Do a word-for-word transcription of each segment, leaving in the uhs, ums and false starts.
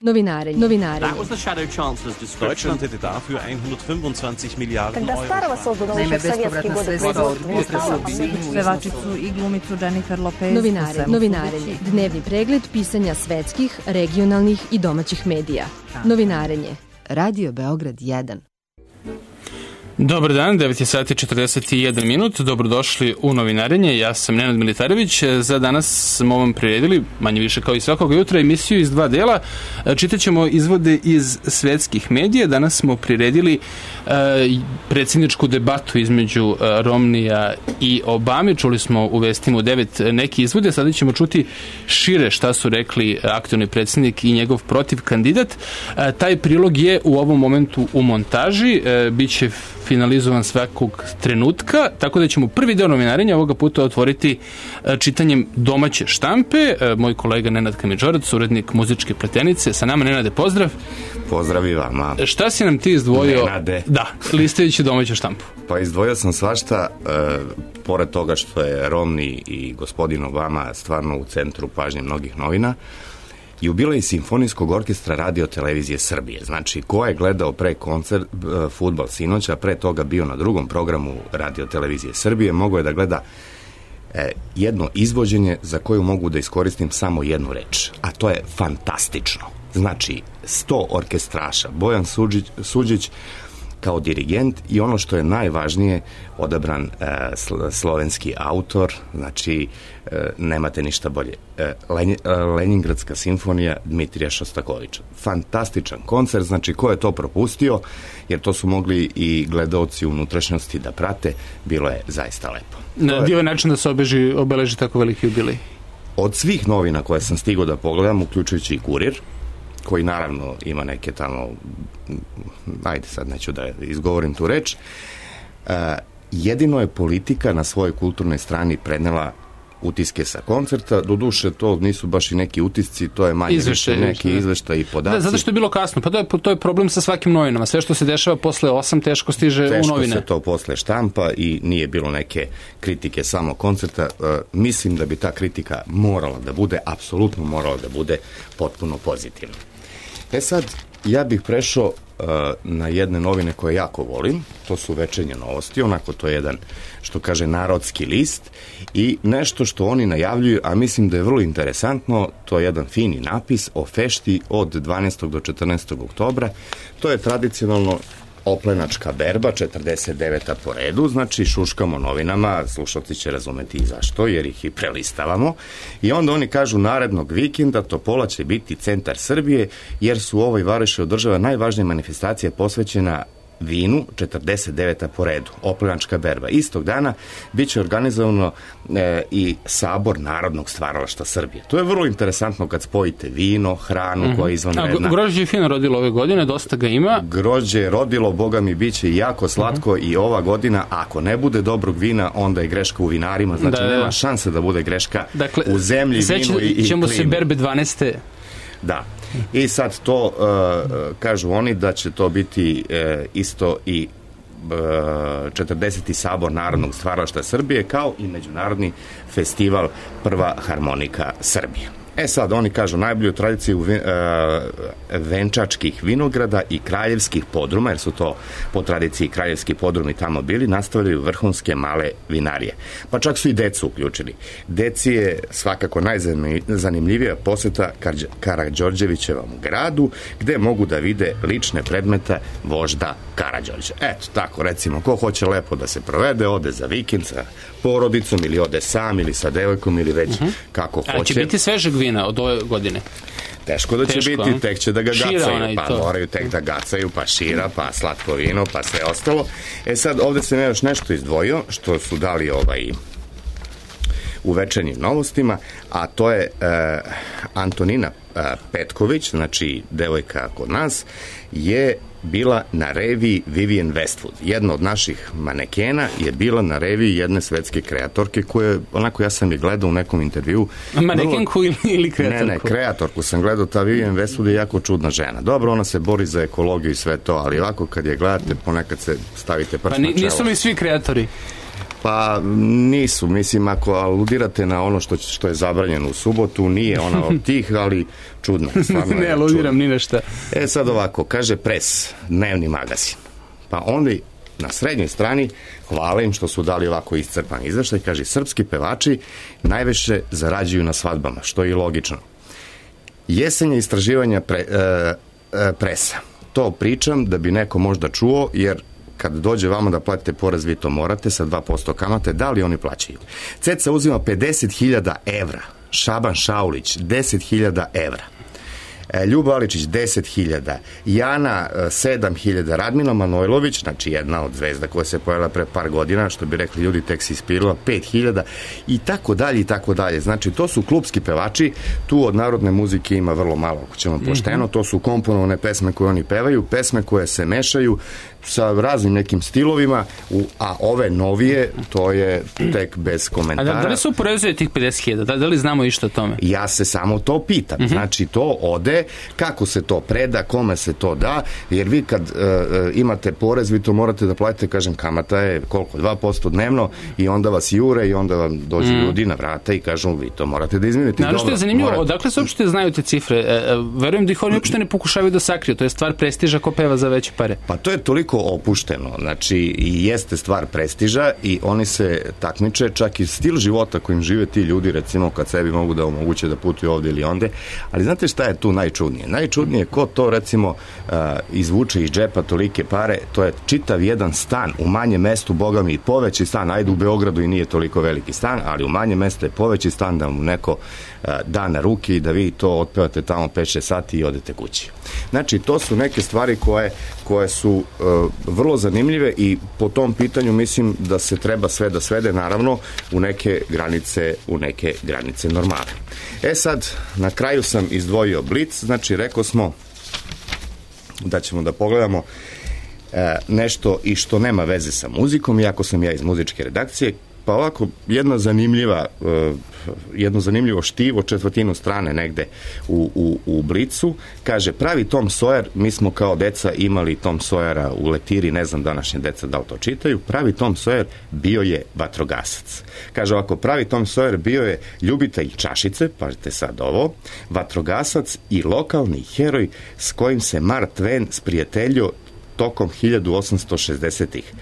Novinarenje. Novinarenje. That was the Shadow Chancellor's description. Deutschland hätte dafür hundertfünfundzwanzig Miliarden Когда старого создано еще в советские годы производства не стало, pevačicu i glumicu Jennifer Lopez. Novinarenje. Novinarenje. Dnevni pregled pisanja svetskih, regionalnih i domaćih medija. Novinarenje. Radio Beograd jedan. Dobar dan, devet je sati četrdeset jedan minut, dobrodošli u Novinarenje, ja sam Nenad Militarević. Za danas smo vam priredili, manje više kao i svakog jutra, emisiju iz dva dela. Čitaćemo izvode iz svetskih medija. Danas smo priredili uh, predsjedničku debatu između uh, Romnija i Obame. Čuli smo u vestima u devet neki izvode, sada ćemo čuti šire šta su rekli aktualni predsjednik i njegov protiv kandidat. Uh, taj prilog je u ovom momentu u montaži, uh, bit će finalizovan svakog trenutka, tako da ćemo prvi deo Novinarenja ovoga puta otvoriti čitanjem domaće štampe. Moj kolega Nenad Kamidžorac, urednik muzičke pletenice, sa nama. Nenade, pozdrav. Pozdrav i vama. Šta si nam ti izdvojio? Nenade. Da, listajući domaću štampu. Pa izdvojio sam svašta, e, pored toga što je Romney i gospodin Obama stvarno u centru pažnje mnogih novina, jubilej Simfonijskog orkestra Radio Televizije Srbije. Znači, ko je gledao pre koncert, fudbal sinoća, pre toga bio na drugom programu Radio Televizije Srbije, mogao je da gleda e, jedno izvođenje za koju mogu da iskoristim samo jednu reč, a to je fantastično. Znači, sto orkestraša, Bojan Suđić, Suđić kao dirigent i ono što je najvažnije, odabran e, slovenski autor, znači e, nemate ništa bolje. E, Len, e, Leningradska simfonija Dmitrija Šostakovića. Fantastičan koncert, znači ko je to propustio, jer to su mogli i gledaoci unutrašnjosti da prate, bilo je zaista lepo. Na je... divan način da se obeži, obeleži tako veliki jubilej. Od svih novina koje sam stigao da pogledam, uključujući i Kurir, koji naravno ima neke tamo, ajde sad neću da izgovorim tu reč, uh, jedino je Politika na svojoj kulturnoj strani prenela utiske sa koncerta, doduše to nisu baš i neki utisci, to je manje više neki izveštaj i podaci. Da, zato što je bilo kasno, pa to je, to je problem sa svakim novinama, sve što se dešava posle osam teško stiže teško u novine. Teško se to posle štampa i nije bilo neke kritike samo koncerta. Uh, mislim da bi ta kritika morala da bude, apsolutno morala da bude potpuno pozitivna. E sad, ja bih prešao uh, na jedne novine koje jako volim, to su Večernje novosti, onako to je jedan, što kaže, narodski list i nešto što oni najavljuju, a mislim da je vrlo interesantno, to je jedan fini napis o fešti od dvanaestog do četrnaestog oktobra, to je tradicionalno oplenačka berba, četrdeset deveta po redu, znači šuškamo novinama, slušalci će razumeti i zašto, jer ih i prelistavamo, i onda oni kažu narednog vikenda Topola će biti centar Srbije, jer su u ovoj varoši održava najvažnija manifestacija posvećena vinu, četrdeset deveta po redu, oplenačka berba. Istog dana bit će organizovano e, i sabor Narodnog stvaralaštva Srbije. To je vrlo interesantno kad spojite vino, hranu, mm-hmm. koja je izvanredna. A grožđe je fino rodilo ove godine, dosta ga ima. Grožđe je rodilo, boga mi, bit će jako slatko, mm-hmm. i ova godina, ako ne bude dobrog vina, onda je greška u vinarima, znači da, nema šanse da bude greška, dakle, u zemlji, vinu i, i ćemo klimi. Se berbe dvanaeste. Da. I sad to, uh, kažu oni da će to biti uh, isto i uh, četrdeseti sabor Narodnog stvaralaštva Srbije, kao i međunarodni festival Prva harmonika Srbije. E sad, oni kažu najbolju tradiciju uh, venčačkih vinograda i kraljevskih podruma, jer su to po tradiciji kraljevski podrumi tamo bili, nastavljaju vrhunske male vinarije. Pa čak su i decu uključili. Deci je svakako najzanimljivija poseta Karađorđevićevom gradu, gde mogu da vide lične predmete vožda Karađorđa. Eto, tako recimo, ko hoće lepo da se provede, ode za vikend sa porodicom ili ode sam ili sa devojkom ili već uh-huh. kako hoće. A će biti svežeg vina od ove godine? Teško da će Teško, biti, tek će da ga šira gacaju, pa to. Moraju tek da gacaju, pa šira, pa slatko vino, pa sve ostalo. E sad, ovde sam ja još nešto izdvojio, što su dali ovaj u Večernjim novostima, a to je e, Antonina e, Petković, znači devojka kod nas, je bila na reviji Vivienne Westwood. Jedna od naših manekena je bila na reviji jedne svetske kreatorke koje, onako ja sam je gledao u nekom intervju. Manekenku vrlo... ili kreatorku? Ne, ne, kreatorku sam gledao, ta Vivienne Westwood je jako čudna žena. Dobro, ona se bori za ekologiju i sve to, ali ovako kad je gledate, ponekad se stavite prst pa, na čelo. Nisu li svi kreatori? Pa nisu, mislim, ako aludirate na ono što, što je zabranjeno u subotu, nije ona od tih, ali čudno. Ne aludiram ni na šta. E sad ovako, kaže Pres, dnevni magazin. Pa onda na srednjoj strani hvale im što su dali ovako iscrpan izveštaj, kaže srpski pevači najviše zarađuju na svadbama, što je i logično. Jesenje istraživanja pre, e, e, Presa. To pričam da bi neko možda čuo, jer kad dođe vama da platite porez, vi to morate sa dva posto kamate, da li oni plaćaju? Ceca uzima pedeset hiljada evra, Šaban Šaulić deset hiljada evra, Ljuba Aličić deset hiljada, Jana sedam hiljada, Radmila Manojlović, znači jedna od zvezda koja se pojavila pre par godina, što bi rekli ljudi, tek se ispirila, pet hiljada i tako dalje i tako dalje. Znači to su klubski pevači, tu od narodne muzike ima vrlo malo, ako ćemo pošteno, to su komponovane pesme koje oni pevaju, pesme koje se mešaju sa raznim nekim stilovima, a ove novije, to je tek bez komentara. A da li se uporezuje tih pedeset hiljada? Da, da li znamo išta o tome? Ja se samo to pitam. Uh-huh. Znači, to ode, kako se to preda, kome se to da, jer vi kad uh, imate porez, vi to morate da platite, kažem, kamata je koliko? dva posto dnevno i onda vas jure i onda vam dođu mm. ljudi na vrata i kažu, vi to morate da izmenite. Naravno što je zanimljivo, morate... odakle se uopšte znaju te cifre? E, e, verujem da ih oni uopšte ne pokušavaju da sakriju, to je stvar prestiža ko peva za veće pare. Pa to je toliko opušteno, znači i jeste stvar prestiža i oni se takmiče, čak i stil života kojim žive ti ljudi, recimo kad sebi mogu da omoguće da putuju ovde ili onde, ali znate šta je tu najčudnije? Najčudnije ko to recimo uh, izvuče iz džepa tolike pare, to je čitav jedan stan u manjem mestu, boga mi i poveći stan, ajde u Beogradu i nije toliko veliki stan, ali u manjem mestu je poveći stan da mu neko uh, da na ruke i da vi to otpevate tamo pet šest sati i odete kući. Znači to su neke stvari koje, koje su uh, vrlo zanimljive i po tom pitanju mislim da se treba sve da svede naravno u neke granice, u neke granice normale. E sad, na kraju sam izdvojio Blic, znači rekao smo da ćemo da pogledamo e, nešto i što nema veze sa muzikom, iako sam ja iz muzičke redakcije, pa ovako jedna zanimljiva e, jedno zanimljivo štivo, četvrtinu strane negde u, u, u Blicu, kaže, pravi Tom Sawyer, mi smo kao deca imali Tom Sawyera u lektiri, ne znam današnje deca da li to čitaju, pravi Tom Sawyer bio je vatrogasac. Kaže ovako, pravi Tom Sawyer bio je ljubitelj čašice, pazite sad ovo, vatrogasac i lokalni heroj s kojim se Mark Twain sprijateljio tokom hiljadu osamsto šezdesetih.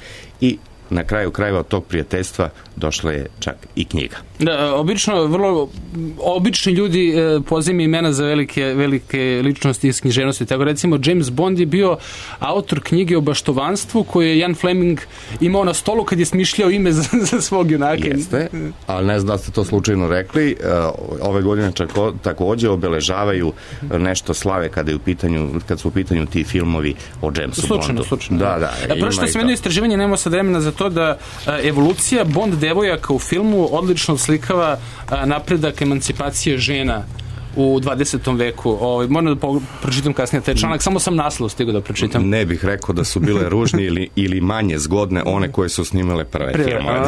I na kraju krajeva od tog prijateljstva došla je čak i knjiga. Da, obično, vrlo obični ljudi e, pozivaju imena za velike, velike ličnosti iz književnosti. Tako recimo, James Bond je bio autor knjige o baštovanstvu koju je Ian Fleming imao na stolu kad je smišljao ime za, za svog junaka. Jeste, ali ne znam da ste to slučajno rekli. Ove godine čako, takođe obeležavaju nešto slave kada je u pitanju, kad su u pitanju ti filmovi o Jamesu slučajno, Bondu. Slučajno, da, da. da. Prvo što sam jedno istraživanje, nemamo sad vremena za to da a, evolucija Bond devojaka u filmu odlično slikava a, napredak emancipacije žena u dvadesetom veku. Ovaj moram da pročitam kasnije taj članak, samo sam naslov stigao da pročitam. Ne bih rekao da su bile ružne ili, ili manje zgodne one koje su snimale prve Pre, filmove.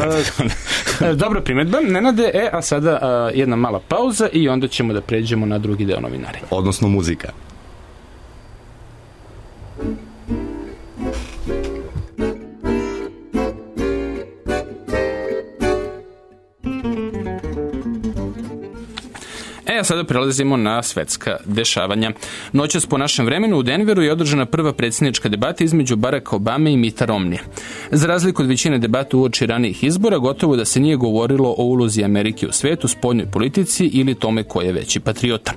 A, dobra primedba, Nenade, e, a sada a, jedna mala pauza i onda ćemo da pređemo na drugi deo novinarenja. Odnosno muzika. E, a sada prelazimo na svetska dešavanja. Noćas po našem vremenu u Denveru je održana prva predsjednička debata između Baracka Obame i Mitta Romneya. Za razliku od većine debata uoči ranijih izbora, gotovo da se nije govorilo o ulozi Amerike u svetu, spoljnoj politici ili tome ko je veći patriota.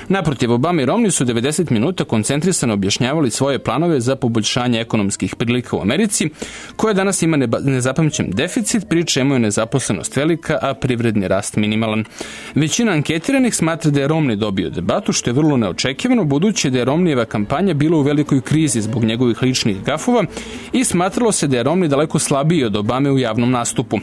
Naprotiv, Obama i Romney su devedeset minuta koncentrisano objašnjavali svoje planove za poboljšanje ekonomskih prilika u Americi, koja danas ima nezapamćen deficit, pri čemu je nezaposlenost velika, a privredni rast minimalan. Većina anketiranih smatra da je Romney dobio debatu, što je vrlo neočekivano, budući da je Romneyjeva kampanja bila u velikoj krizi zbog njegovih ličnih gafova i smatralo se da je Romney daleko slabiji od Obame u javnom nastupu.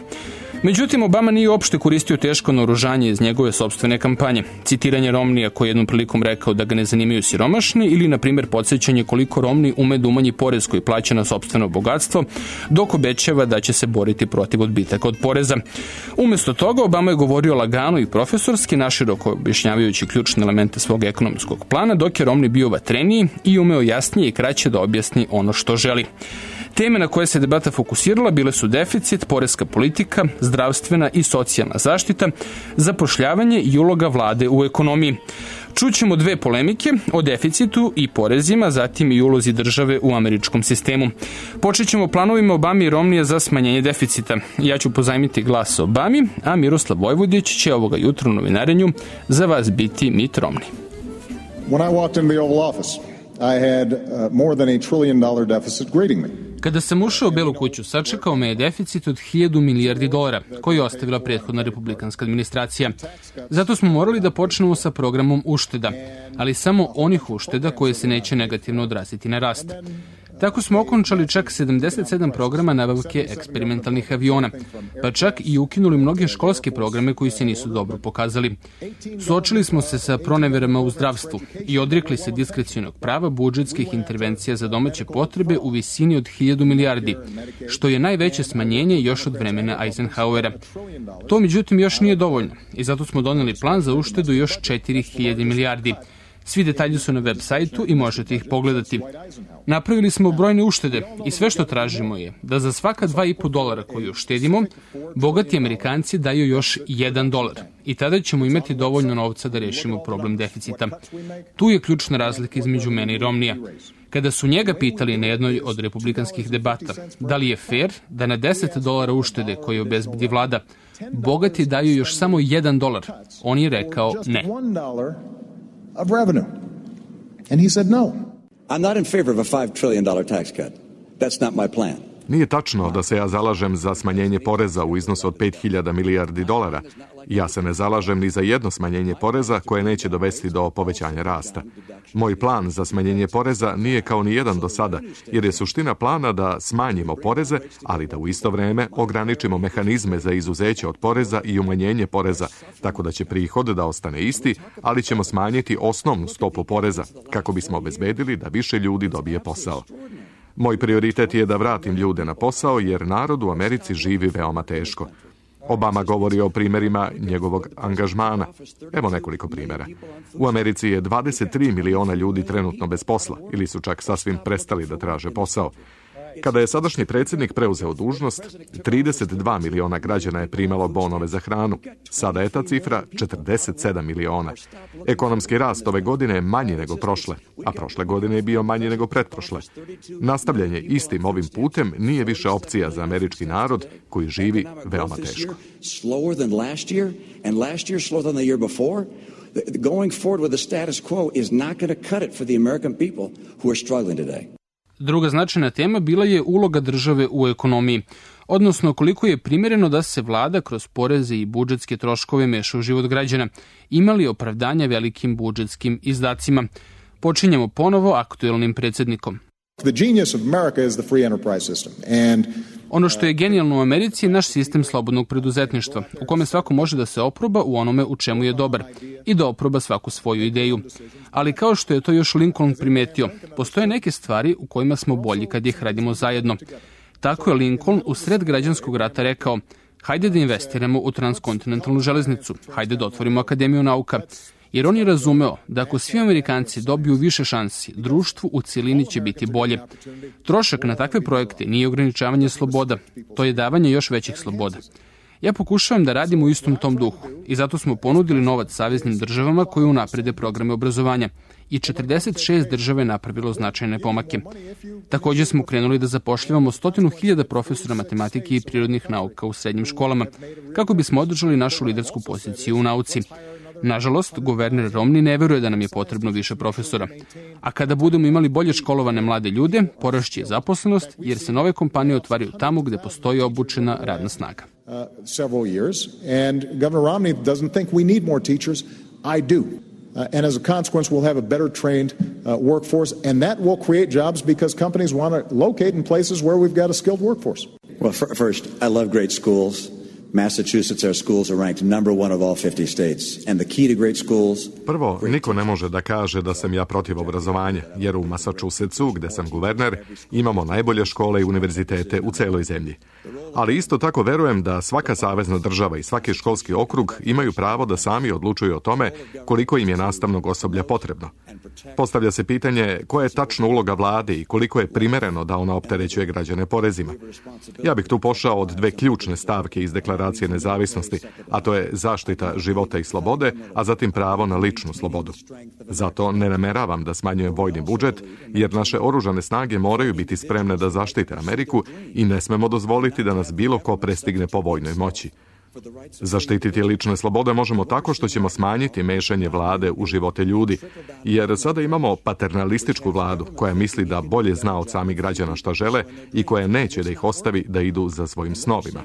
Međutim, Obama nije uopšte koristio teško naoružanje iz njegove sopstvene kampanje. Citiranje Romneya koji je jednom prilikom rekao da ga ne zanimaju siromašni ili, na primjer, podsjećanje koliko Romney ume da umanji porez koji plaća na sopstveno bogatstvo, dok obećava da će se boriti protiv odbitaka od poreza. Umjesto toga, Obama je govorio lagano i profesorski, naširoko objašnjavajući ključne elemente svog ekonomskog plana, dok je Romney bio vatreniji i umeo jasnije i kraće da objasni ono što želi. Teme na koje se debata fokusirala bile su deficit, poreska politika, zdravstvena i socijalna zaštita, zapošljavanje i uloga vlade u ekonomiji. Čućemo dve polemike o deficitu i porezima, zatim i ulozi države u američkom sistemu. Počet ćemo planovima Obame i Romnija za smanjenje deficita. Ja ću pozajmiti glas Obami, a Miroslav Vojvodić će ovoga jutra u novinarenju za vas biti Mitt Romney. When I walked into the Oval Office, I had uh, more than a trillion dollar deficit greeting me. Kada sam ušao u Belu kuću, sačekao me je deficit od hiljadu milijardi dolara, koji je ostavila prethodna republikanska administracija. Zato smo morali da počnemo sa programom ušteda, ali samo onih ušteda koje se neće negativno odraziti na rast. Tako smo okončali čak sedamdeset sedam programa nabavke eksperimentalnih aviona, pa čak i ukinuli mnoge školske programe koji se nisu dobro pokazali. Suočili smo se sa proneverama u zdravstvu i odrekli se diskrecionog prava budžetskih intervencija za domaće potrebe u visini od hiljadu milijardi, što je najveće smanjenje još od vremena Eisenhowera. To međutim još nije dovoljno i zato smo doneli plan za uštedu još četiri hiljade milijardi. Svi detalji su na web sajtu i možete ih pogledati. Napravili smo brojne uštede i sve što tražimo je da za svaka dva i po dolara koju uštedimo, bogati Amerikanci daju još jedan dolar i tada ćemo imati dovoljno novca da rešimo problem deficita. Tu je ključna razlika između mene i Romnija. Kada su njega pitali na jednoj od republikanskih debata da li je fair da na deset dolara uštede koje obezbedi vlada, bogati daju još samo jedan dolar, on je rekao ne. Of revenue. And he said no. I'm not in favor of a five trillion dollar tax cut. That's not my plan. Nije tačno da se ja zalažem za smanjenje poreza u iznosu od pet hiljada milijardi dolara. Ja se ne zalažem ni za jedno smanjenje poreza koje neće dovesti do povećanja rasta. Moj plan za smanjenje poreza nije kao ni jedan do sada, jer je suština plana da smanjimo poreze, ali da u isto vreme ograničimo mehanizme za izuzeće od poreza i umanjenje poreza, tako da će prihod da ostane isti, ali ćemo smanjiti osnovnu stopu poreza, kako bismo obezbedili da više ljudi dobije posao. Moj prioritet je da vratim ljude na posao, jer narod u Americi živi veoma teško. Obama govori o primjerima njegovog angažmana. Evo nekoliko primjera. U Americi je dvadeset tri miliona ljudi trenutno bez posla ili su čak sasvim prestali da traže posao. Kada je sadašnji predsjednik preuzeo dužnost, trideset dva miliona građana je primalo bonove za hranu. Sada je ta cifra četrdeset sedam miliona. Ekonomski rast ove godine je manji nego prošle, a prošle godine je bio manji nego pretprošle. Nastavljanje istim ovim putem nije više opcija za američki narod koji živi veoma teško. Going forward with the status quo is not going to cut it for the American people who are struggling today. Druga značajna tema bila je uloga države u ekonomiji, odnosno koliko je primjereno da se vlada kroz poreze i budžetske troškove meša u život građana, imali opravdanja velikim budžetskim izdacima. Počinjemo ponovo aktuelnim predsjednikom. The genius of America is the free enterprise system. And ono što je genijalno u Americi je naš sistem slobodnog preduzetništva, u kome svako može da se oproba u onome u čemu je dobar i da oproba svaku svoju ideju. Ali kao što je to još Lincoln primetio, postoje neke stvari u kojima smo bolji kad ih radimo zajedno. Tako je Lincoln u sred građanskog rata rekao: hajde da investiramo u transkontinentalnu železnicu, hajde da otvorimo Akademiju nauka. Jer on je razumeo da ako svi Amerikanci dobiju više šansi, društvu u cijelini će biti bolje. Trošak na takve projekte nije ograničavanje sloboda, to je davanje još većih sloboda. Ja pokušavam da radim u istom tom duhu i zato smo ponudili novac saveznim državama koje unaprede programe obrazovanja i četrdeset šest država je napravilo značajne pomake. Također smo krenuli da zapošljavamo stotinu hiljada profesora matematike i prirodnih nauka u srednjim školama, kako bismo održali našu lidersku poziciju u nauci. Nažalost, guverner Romney ne veruje da nam je potrebno više profesora. A kada budemo imali bolje školovane mlade ljude, porašće zaposlenost, jer se nove kompanije otvaraju tamo gde postoji obučena radna snaga. Uh, several years, and Governor Romney doesn't think we need more teachers. I do. Uh, and as a consequence, we'll have a better trained uh, workforce, and that will create jobs because companies want to locate in places where we've got a skilled workforce. Well, f- first, I love great schools. Massachusetts, our schools are ranked number one of all fifty states. And the key to great schools... Prvo, niko ne može da kaže da sam ja protiv obrazovanja, jer u Massachusettsu, gde sam guverner, imamo najbolje škole i univerzitete u celoj zemlji. Ali isto tako verujem da svaka savezna država i svaki školski okrug imaju pravo da sami odlučuju o tome koliko im je nastavnog osoblja potrebno. Postavlja se pitanje koja je tačno uloga vlade i koliko je primereno da ona opterećuje građane porezima. Ja bih tu pošao od dve ključne stavke iz Deklaracije nezavisnosti, a to je zaštita života i slobode, a zatim pravo na ličnu slobodu. Zato ne nameravam da smanjujem vojni budžet, jer naše oružane snage moraju biti spremne da zaštite Ameriku i ne smemo dozvoliti da nas bilo ko prestigne po vojnoj moći. Zaštititi lične slobode možemo tako što ćemo smanjiti mešanje vlade u živote ljudi, jer sada imamo paternalističku vladu koja misli da bolje zna od samih građana šta žele i koja neće da ih ostavi da idu za svojim snovima.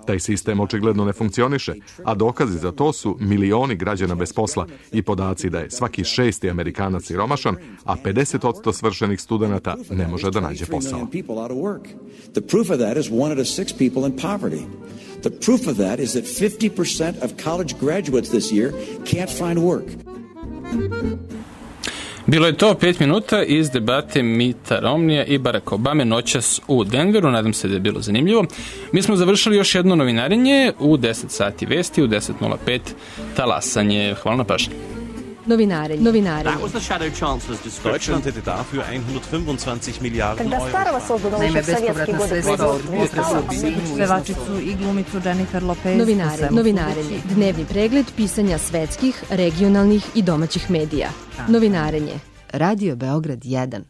Taj sistem očigledno ne funkcioniše, a dokazi za to su milioni građana bez posla i podaci da je svaki šesti Amerikanac siromašan, a pedeset posto svršenih studenata ne može da nađe posao. The proof of that is one out of six people in poverty. The proof of that is that fifty percent of college graduates this year can't find work. Bilo je to pet minuta iz debate Mitta Romneya i Baracka Obame noćas u Denveru. Nadam se da je bilo zanimljivo. Mi smo završili još jedno novinarenje u deset sati vesti, u deset nula pet talasanje. Hvala na pažnji. Novinarenje. Novinarenje. Deutschland hätte dafür hundertfünfundzwanzig Milliarden Euro. Naime, bespovratna sredstva od pevačicu i glumicu Jennifer Lopez. Novinarenje. Novinarenje. Dnevni pregled pisanja svetskih, regionalnih i domaćih medija. Novinarenje. Radio Beograd jedan.